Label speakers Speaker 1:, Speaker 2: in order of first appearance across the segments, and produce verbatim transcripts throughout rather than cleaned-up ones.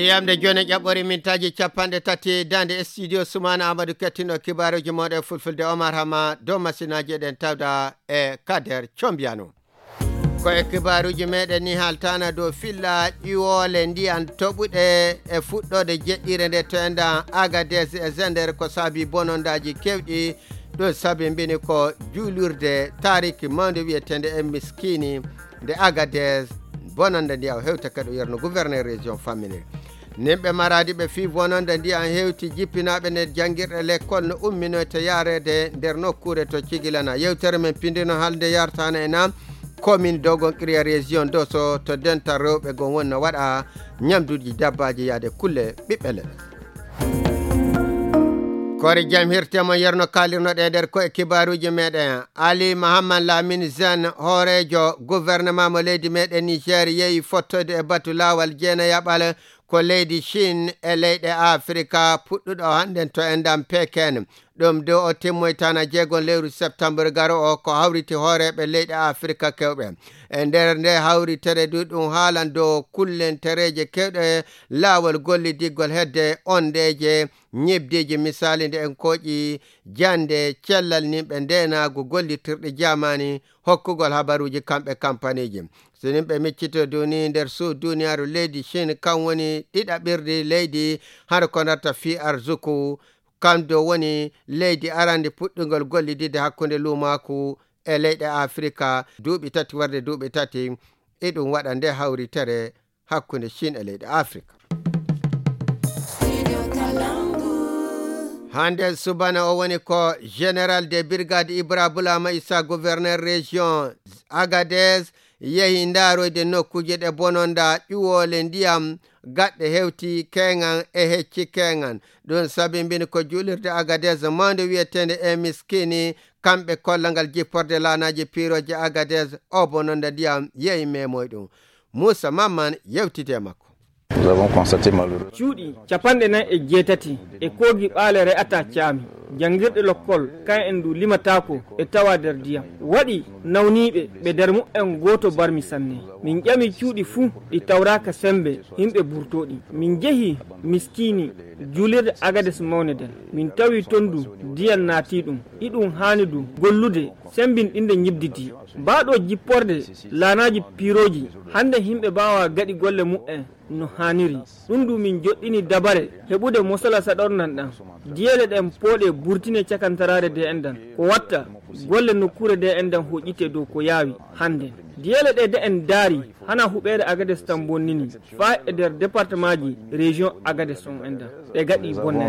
Speaker 1: yamde joni ƴaɓɓori mintaji capanɗe tati dande studio Soumana Amadou kettino kibaruji moɗe fulfulde Omar Hama dow masinaji eɗen tawda e Kader Combiano koye kibaruji meɗen ni haltana dow filla ƴiwole ndiyan toɓuɗe e fuɗɗode jeɗɗire nde to enda Agadez e Zender ko saabi bonondaji kewɗi ɗo saabi mbini ko juulurde tariki mawde wiyetende e miskini nde Agadez bononde ndiya hewta kadi yerno gouverneur région famine nimɓe maradi ɓe fi bononde ndiya hewti jippinaɓe ne janguirɗe l'école no umminoyte yarede nder nokkure to cigilana yewtere men pindino halde yartana e nam commune dogon kriya région doso to dental rewɓe gon wonno waɗa ñamduji dabbaji yaade kulle ɓiɓɓe leɗɗe kori jam hirtemo yerno kalirnoɗe nder koye kibaruji meɗen Ali Mahamad Lamine Zane hoorejo gouvernement mo leydi meɗen Niger yeehi fottode e batu lawal jeena yaɓal ko leydi Chine e leyɗe Afrika puɗɗuɗo hannden to endam Peken ɗum dow o timmoytana jeegon lewru septembre garo o ko hawriti hooreɓe leyɗe Afrika kewɓe e nder nde hawritere du ɗum haalan dow kullentereje kewɗe laawol gollidiggol hedde ondeje ñibdiji misali nde en koƴi jande cellal nimɓe ndenago gollitirɗe jamani hokkugol habaruji kamɓe kampaniji so nimɓe miccito duni nder suud duniyaru leydi Chine kan woni ɗiɗaɓirdi leydi har ko narta fi arzuku kamdo woni leydi arande puɗɗugol gollidide hakkunde lumaku e leyɗe Afrika duuɓi tati warde duuɓi tati e ɗum waɗa nde hawritere hakkunde Chine e leyɗe Afrika hande subana o woni ko général de brigade Ibra Boulama Issa gouverneur région Agadez yehi ndaroyde nokkuje ɗe bononda ƴuwole ndiyam gaɗɗe hewti kengan e hecci kengan ɗum sabi mbini ko juulirde Agadez mawde wiyetende e miskini kamɓe kollangal jipporde lanaji piroje Agadez o bononda ndiyam yehi memoy ɗum Moussa Mamman yewtide makko
Speaker 2: Nous avons constaté malheureux.
Speaker 3: Cuuɗi capanɗe nayi e jeetati e koogi ɓaale re'ata caami janngirɗe lokkol kan en ndu limatako e tawa nder ndiyam waɗi nawniiɓe ɓe nder mu'en gooto barmi sanne min ƴami cuuɗi fuu ɗi tawraka sembe yimɓe burtoɗi min jehi miskini juulirde Agades mawne den min tawi ton du ndiyam naati ɗum iɗum haani du gollude sembinɗinde ñibdidi mbaaɗo jipporde laanaji piroji hande yimɓe mbawa gaɗi golle mu'en no haniri ɗum du min joɗɗini dabare heɓude mosala saɗornan ɗan diyele ɗen pooɗe burtine cakantarade de endan ko watta golle nokkure de endan hoƴƴite dow ko yaawi hande diyele ɗe de en daari hana huɓeere Agades tan bonnini fa e nder département ji région Agades on endan ɓe gaɗi bonne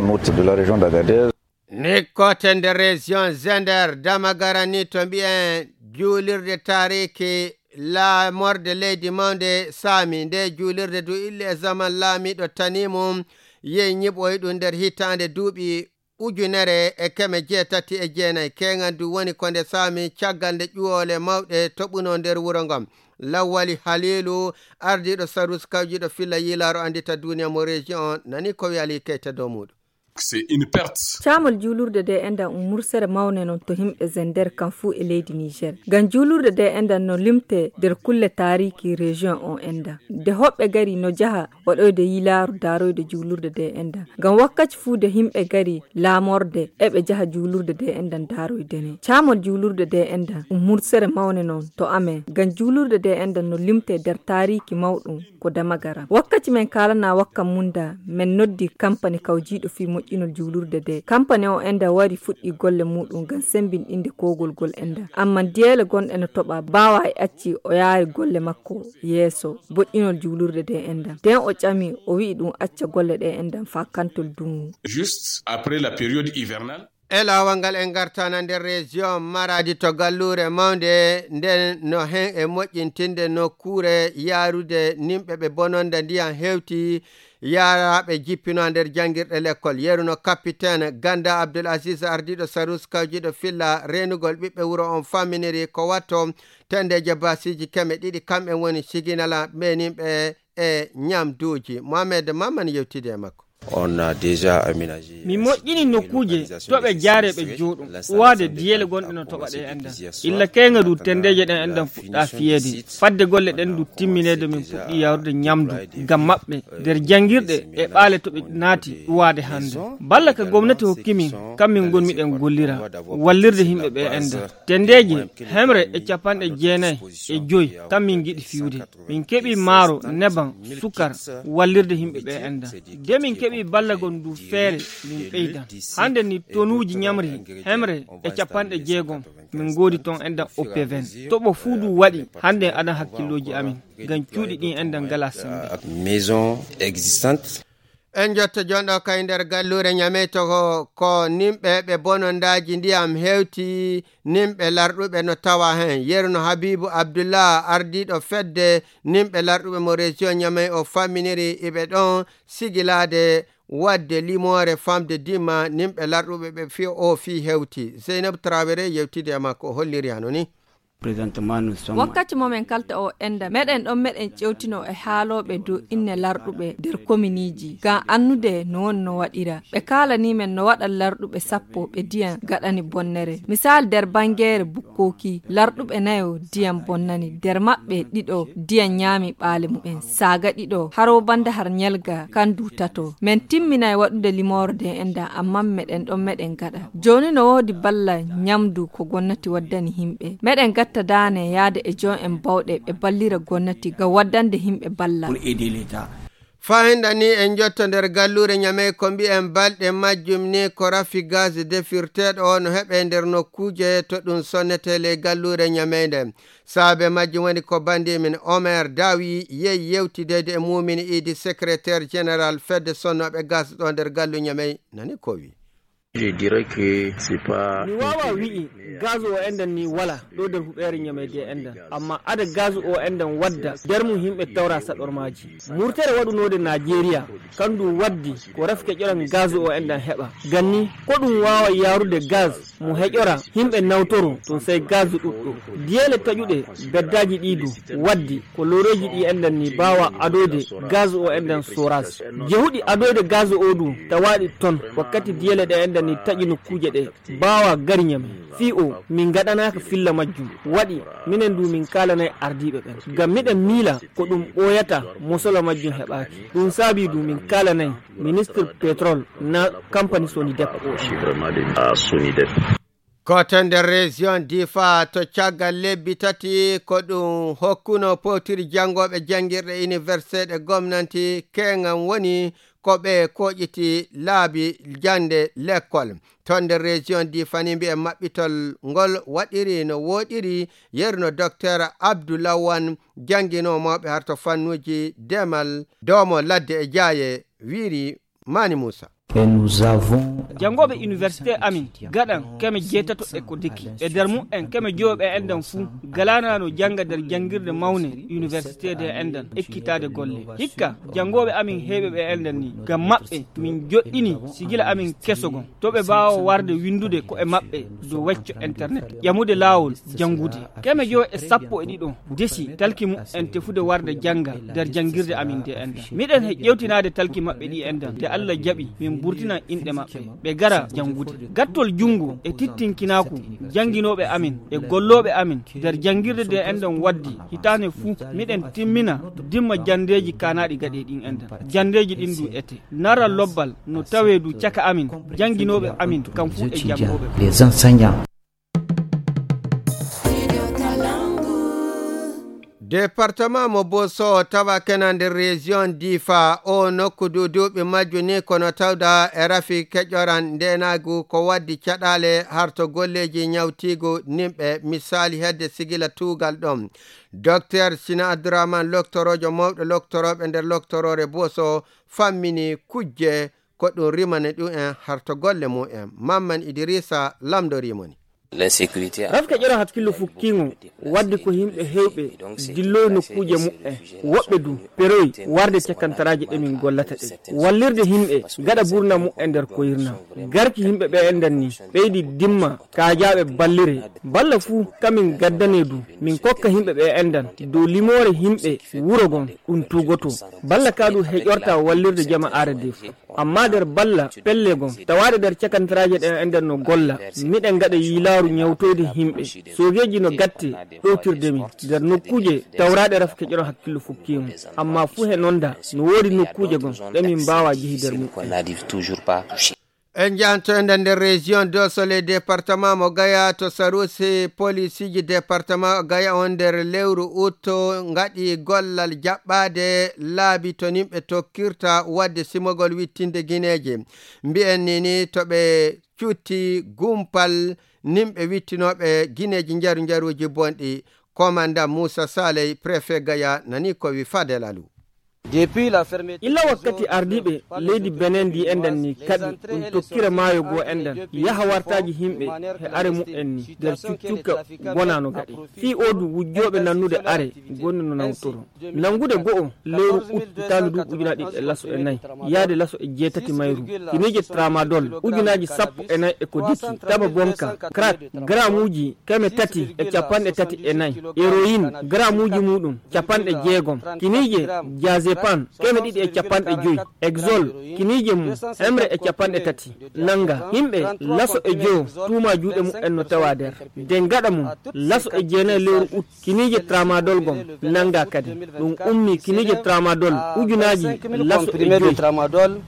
Speaker 1: ni kote nder région Zender Damagara ni to mbiyen juulirde tariki la morde leydi mawde saami nde juulirde du ille e zaman laamiɗo tanimum yehi ñiɓoy ɗum nder hitande duuɓi ujunere e keme jeetati e jeenayi kengan du woni ko nde saami caggal nde ƴuwole mawɗe toɓuno nder wuro ngam Lawali Halilu ardiɗo sarus kawjiɗo filla yilaaro andita duniya mo région on nani ko wi Ali Keita dow muɗum
Speaker 4: c'est une perte.
Speaker 5: Camol juulurde de enda um mursere mawne non to himɓe Zender kan fuu e leydi Niger. Gan juulurde de enda no limte nder kulle tariki région on enda. De hoɓɓe gari no jaha waɗoyde yilaaru daroyde juulurde de enda. Gan wakkati fuu de himɓe gari laamorde eɓe jaha juulurde de enda daroyde ne. Camol juulurde de enda um mursere mawne non to amen. Gan juulurde de enda no limte nder tariki mawɗum ko Damagara. Wakkati men kalana wakka munda men noddi company kawjiɗo fi moƴƴinol juulurde de company o enda wari fuɗɗi golle muɗum ngam sembinɗinde kogol gol enda amma diyele gonɗe no toɓa bawa e acci o yaari golle makko yeeso boƴƴinol juulurde de enda den o ƴami o wi'i ɗum acca golle ɗe enda fa kantol dungu
Speaker 4: juste après la période hivernale.
Speaker 1: e laawol ngal en gartana nder région Maradi to gallure mawde nden no hen e moƴƴintinde nokkure yaarude nimɓe ɓe bononda ndiyam hewti yaraɓe jippino nder jangirɗe l'école yeruno capitaine Ganda Abdoul Aziz ardiɗo sarus kawjiɗo filla renugol ɓiɓɓe wuro on faminiri ko watto tendeje basiji keme ɗiɗi kamɓe woni siginala ɓenimɓe e ñamduji Mohamed Mamman yewtide makko.
Speaker 6: on a déjà aménagé
Speaker 3: mi moƴƴini nokkuje to ɓe jaareɓe jooɗum uwade diyele gonɗe no toɓa ɗe endan illa keyga du tendeje ɗen endan fuɗɗa fiyede fadde golle ɗen du timminede min puɗɗi yawrude ñamdu ngam maɓɓe nder jangirɗe e ɓaale to ɓe naati uwade hande balla ka gomnati hokkimin kammin gonmiɗen gollira wallirde himɓe ɓe enda tendeje hemre e capanɗe jeenayyi e joyi kammin giɗi fiwde min keeɓi maaro neban sukar wallirde himɓe ɓe enda de min keeɓi ballagon du feere min ɓeydan hande ni tonuji ñamri hemre e capanɗe jeegom min goodi ton endan O P vingt toɓo fuu du waɗi hande aɗan hakkilloji amin ngam cuuɗi ɗin endan ngala sembe
Speaker 6: maison existante.
Speaker 1: En jotta jonɗo kay nder gallure ñame to ko, ko nimɓe ɓe bonondaji ndiyam hewti nimɓe larɗuɓe no tawa hen yerno Habibou Abdoullah ardiɗo fedde nimɓe larɗuɓe mo région ñamay o famminiri iɓe ɗon sigilade wadde limore famde dimma nimɓe larɗuɓe ɓe fi o fi hewti Zeynab Traoré yewtide e makko o holliri hano ni
Speaker 5: wakkati momin kalta o enda meɗen ɗon meɗen ƴewtino e haaloɓe dow inne larɗuɓe nder kominiji ngam annude no woni no waɗira ɓe kalanimen no waɗa larɗuɓe sappo ɓe diyan gaɗani bonnere misal nder bangere bukkoki larɗuɓe nayo diyan bonnani nder maɓɓe ɗiɗo diyan ñaami ɓaale mumen saga ɗiɗo haro banda har ñelga kandu tato men timminay waɗude limorde enda amma meɗen ɗon meɗen gaɗa joni no wodi balla ñamdu ko gonnati waddani himɓe meɗen gatta dane yaade e jon en bawɗe ɓe ballira gonnati ga waddande himɓe balla
Speaker 1: fahinda ni en jotto nder gallure ñamey ko mbi'en balɗe majjum ni ko rafi gaz defirteɗo o no heɓe nder nokkuje to ɗum sonnetele gallure ñameyde saabe majjum woni ko bandi min Omer Dawi yeyi yewtidede e mumin idi secrétaire général fedde sonnoɓe gaz ɗo nder gallu ñamey nani ko wi
Speaker 2: Je dirais que c'est pas
Speaker 3: mi wawa wi'i gaz o endan ni wala ɗo nder huɓere ñamede endan amma ada gaz o endan wadda nder mum himɓe tawra saɗormaji murtere waɗunode Nigeria kandu waddi ko refke ƴoran gaz o endan heɓa ganni ko ɗum wawa yarude gaz mo heƴora himɓe nawtoro to sey gaz ɗuɗɗo diyele taƴuɗe beddaji ɗidu waddi ko loreji ɗi endan ni bawa adode gaz o endan storage jehuɗi adode gaz o du tawaɗi ton wakkati diyele ɗe endan ni taƴi nokkuje ɗe bawa gari ñame fi o min gaɗanaka filla majjum waɗi minen du min kalanay ardiɓe ɓen ngam miɗen miila ko ɗum ɓoyata mosolo majjum heɓaki ɗum saabi du min kalanay ministre pétrole na compagnie Sonidep o
Speaker 1: koto nder région Difa to caggal lebbi tati ko ɗum hokkuno potiri jangoɓe jangirɗe université ɗe gomnanti keŋam woni ko ɓe koƴiti laabi jande l'école to nder région Difa ni mbi'e maɓɓitol ngol waɗiri no woɗiri yerno docteur Abdoulawan janginomoɓe harto fannuji demal domo ladde e jaaye wiiri Mani Moussa
Speaker 3: jangoɓe université amin gaɗan keme jeetato e ko dikki e nder mum en keme jowoɓe endan fuu galanano janga nder jangirde mawne université de endan ekkitade golle hikka jangoɓe amin heeɓe ɓe endan ni ngam maɓɓe min joɗɗini sigila amin kesogon to ɓe mbawa warde windude ko e maɓɓe dow wecco internet ƴamude lawol jangude keme jowo e sappo e ɗiɗo desi talki mum en tefude warde janga nder jangirde amin de endan miɗen he ƴewtinade talki maɓɓe ɗi endan de Allah jaɓi min burtina inɗe maɓɓe ɓe gara jangude gattol jungo e tittinkinaku janginoɓe amin e golloɓe amin nder jangirde de endan waddi hitane fuu miɗen timmina dimma jandeji kanaɗi gaɗe ɗin endan jandeji ɗin du ete nara lobbal no tawe du caka amin janginoɓe amin kam fuu e jangoɓe
Speaker 1: département mo Boso tawa kena nder région Difa o nokku du duuɓi majju ni kono tawda e rafi keƴoran ndenagu ko waddi caɗale harto golleji ñawtigu nimɓe misali hedde sigila tugal ɗon docteur Sina Abdourahmane loktorojo mawɗo loktoroɓe nder loktorore Boso fammini kujje ko ɗum rimane ɗum en harto golle mu'en Mamman Idrissa lamdorimoni
Speaker 6: l'insécurité
Speaker 3: rafka ƴera hakkillo fukkingo wadde ko himɓe hewɓe dilloy nokkuje muɓɓe woɓɓe du peroy warde cakkantaraji ɗe min gollata ɗe wallirde himɓe gaɗa burna muɓɓe nder koyirna garki himɓe ɓe endan ni ɓeydi dimma kajaɓe ballire balla fuu kamin gaddane du min kokka himɓe ɓe endan dow limore himɓe wuro gon ɗum tugoto balla ka du heƴorta wallirde jama are de fu amma nder balla pelle gon tawaade nder cakantiraje ɗen ender no golla miɗen gaɗa yilaaru ñawtode himɓe sogeji no gatte ɗowtirde min nder nokkuje tawraɗe raf keƴoron hakkillo fukkimo amma fuu he nonda no woodi nokkuje gon ɗemin mbawa jehi nder muɗum.
Speaker 1: En jahantoyde nder région dosole département mo Gaya to sarusi police ji département Gaya on nder lewru utto ngaɗi gollal jaɓɓade laabi to nimɓe tokkirta wadde simogol wittinde guineje mbi'en nini to ɓe cutti gumpal nimɓe wittinoɓe guineji jaru jaruji bonɗi. Commandant Moussa Saleh préfet Gaya nani ko wi Fadel Alou.
Speaker 3: illa wakkati ardiɓe leydi Benin ndi enden ni kadi ɗum tokkira maayo goo enden yaha wartaji himɓe he are mu'en ni nder cuccukka gonano gaɗi fii odu wujjoɓe nannude are gonni no nawtoro nangude go'o lewru uttandu du ujunaji ɗiɗi e laso e nayyi yaade laso e jeetati mayru kinije tramadol ujunaji sappo e nayyi e ko dikki taba bonka crack gramuji keme tati e capanɗe tati e nayyi héroïne gramuji muɗum capanɗe jeegom kinije jazé pan keme ɗiɗi e capanɗe joyi exol kinije mum hemre e capanɗe tati nanga himɓe laso e joo tuma juuɗe mu'en no tawa nder nden gaɗa mum laso e jeenayi lewru ut kinije tramadol gon nanga kadi ɗum ummi kinije tramadol ujunaji laso e joyi.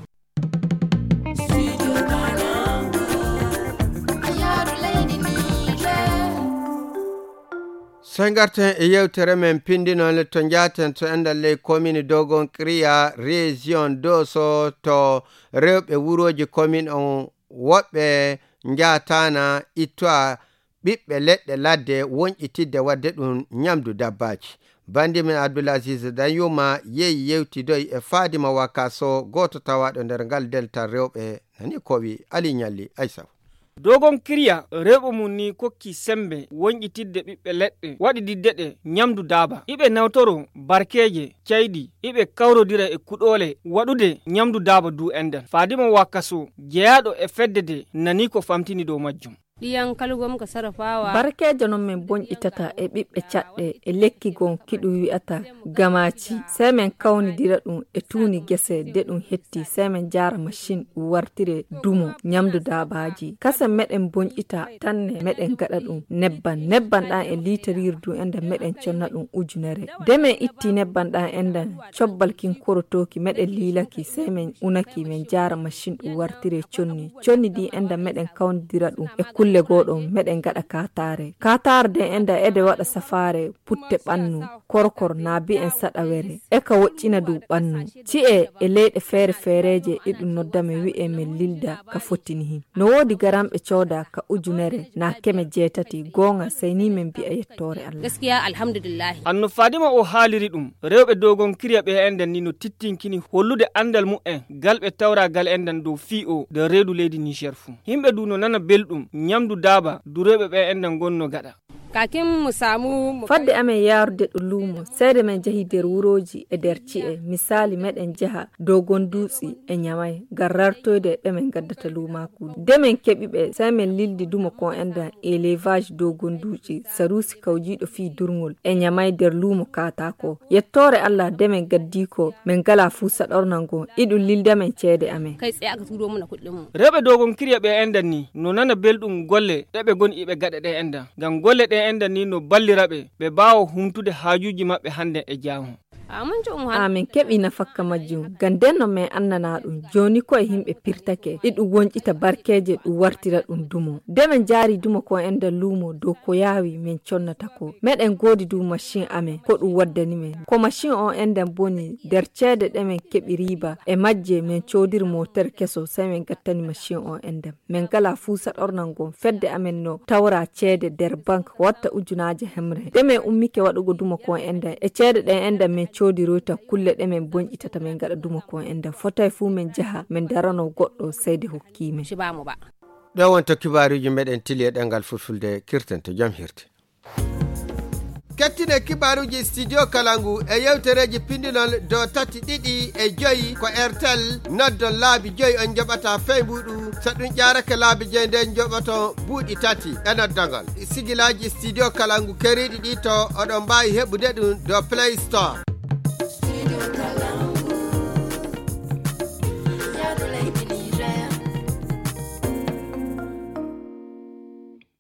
Speaker 1: So garten e yewtere men pindinol to jaten to endal ley commune Dogon Kriya région Doso to rewɓe wuroji commune on woɓɓe jatana ittoa ɓiɓɓe leɗɗe ladde wonƴitidde wadde ɗum ñamdu dabbaji. Bandi men Abdoulaziz Danyuma yeyi yewtidoy e Fadima Wakaso goto tawaɗo nder ngal delta rewɓe nani ko wi Ali Ñalli Aissa.
Speaker 3: Dogon Kriya rewɓe mum ni kokki sembe wonƴitidde ɓiɓɓe leɗɗe waɗi didde ɗe ñamdu daaba iɓe nawtoro barkeje ceyɗi iɓe kawrodira e kuɗole waɗude ñamdu daaba du enden. Fadima Wakaso jeyaɗo e fedde de nani ko famtini dow majjum.
Speaker 7: ɗiyan kalgom ka sarrafawa
Speaker 5: barkejo non min bonƴitata e ɓiɓɓe caɗɗe e lekki gon kiɗu wi'ata gamaci sai men kawnidira ɗum e tuuni gese de ɗum hetti sai men jara machine ɗum wartire dumo ñamdu dabaji kase meɗen bonƴita tanne meɗen gaɗa ɗum nebban nebban ɗan e litarirdu enden meɗen conna ɗum ujunere de men itti nebban ɗan enden cobbal kin korotoki meɗen lilaki sai men unaki men jara machine ɗum wartire conni conni di enden meɗen kawnidira ɗum e kulle goɗon meɗen gaɗa katare katare de enda ede waɗa safare putte ɓannu korkor na bi en saɗawere e ka woccina du ɓannu ci'e e leyɗe feere feereje ɗiɗum noddame wi'e men lilda ka fottini hin no wodi garamɓe cooda ka ujunere na keme jeetati gonga sayni men bi'a yettore Allah
Speaker 7: gaskiya alhamdulillah.
Speaker 3: Anno Fadima o haaliri ɗum rewɓe Dogon Kriya ɓe enden ni no tittinkini hollude andal mu'en galɓe tawra gal enden dow fii o de reedu leydi Niger fu himɓe du no nana belɗum ñamdu daba dureɓe ɓe enden gonno gaɗa
Speaker 7: kakin mu samu
Speaker 5: fadde amen yarude ɗo luumo seede men jahi nder wuroji e nder ci'e misali meɗen jaha Dogon Dutsi e Ñamay garrartoyde ɓe men gaddata luumaku de men keɓiɓe sai men lildi dumo kon enda élevage Dogon Dutsi sarusi kawjiɗo fi durngol e Ñamay nder luumo katako yettore Allah de men gaddi ko men gala fu saɗornango iɗum lilda men ceede amen
Speaker 7: kai tsaye aka turo muna kuɗin mu
Speaker 3: rewɓe Dogon Kriya ɓe enden ni no nana belɗum golle ɗeɓe goni iɓe gaɗa ɗe enda ngam golle ɗe enden ni no balliraɓe ɓe bawa humtude haajuji maɓɓe hande e jaamu.
Speaker 5: amin keɓi nafakka majjum gandenno men annana ɗum joni koye himɓe pirtake ɗiɗum wonƴita barkeje ɗum wartira ɗum dumo de men jaari dumo ko enda luumo dow ko yaawi min connata ko meɗen goodi du machine amen ko ɗum waddani men ko machine on enden boni nder ceede ɗe men keɓi riba e majje min coodir moteur keso sai min gattani machine on enden min gala fuu saɗornan gon fedde amen no tawra ceede nder banque watta ujunaje hemre de men ummike waɗugo dumo ko enden e ceede ɗen enden min coodiroyta kulle ɗe men bonƴitata men gaɗa duma ko enda fotay fu men jaha men darano goɗɗo seyde hokkime
Speaker 1: ɗo wonto kibaruji meɗen tili e ɗengal fulfulde kirten to jam hirte kettine kibaruji studio Kalangu e yewtereji pindinol do tati ɗiɗi e joyi ko Airtel noddon laabi joyi on joɓata feymuɗu so ɗum ƴarake laabi joyi nden joɓoto buuɗi tati e noddangal sigilaji studio Kalangu keriɗi ɗi to oɗon mbawi heɓude ɗum do Play Store.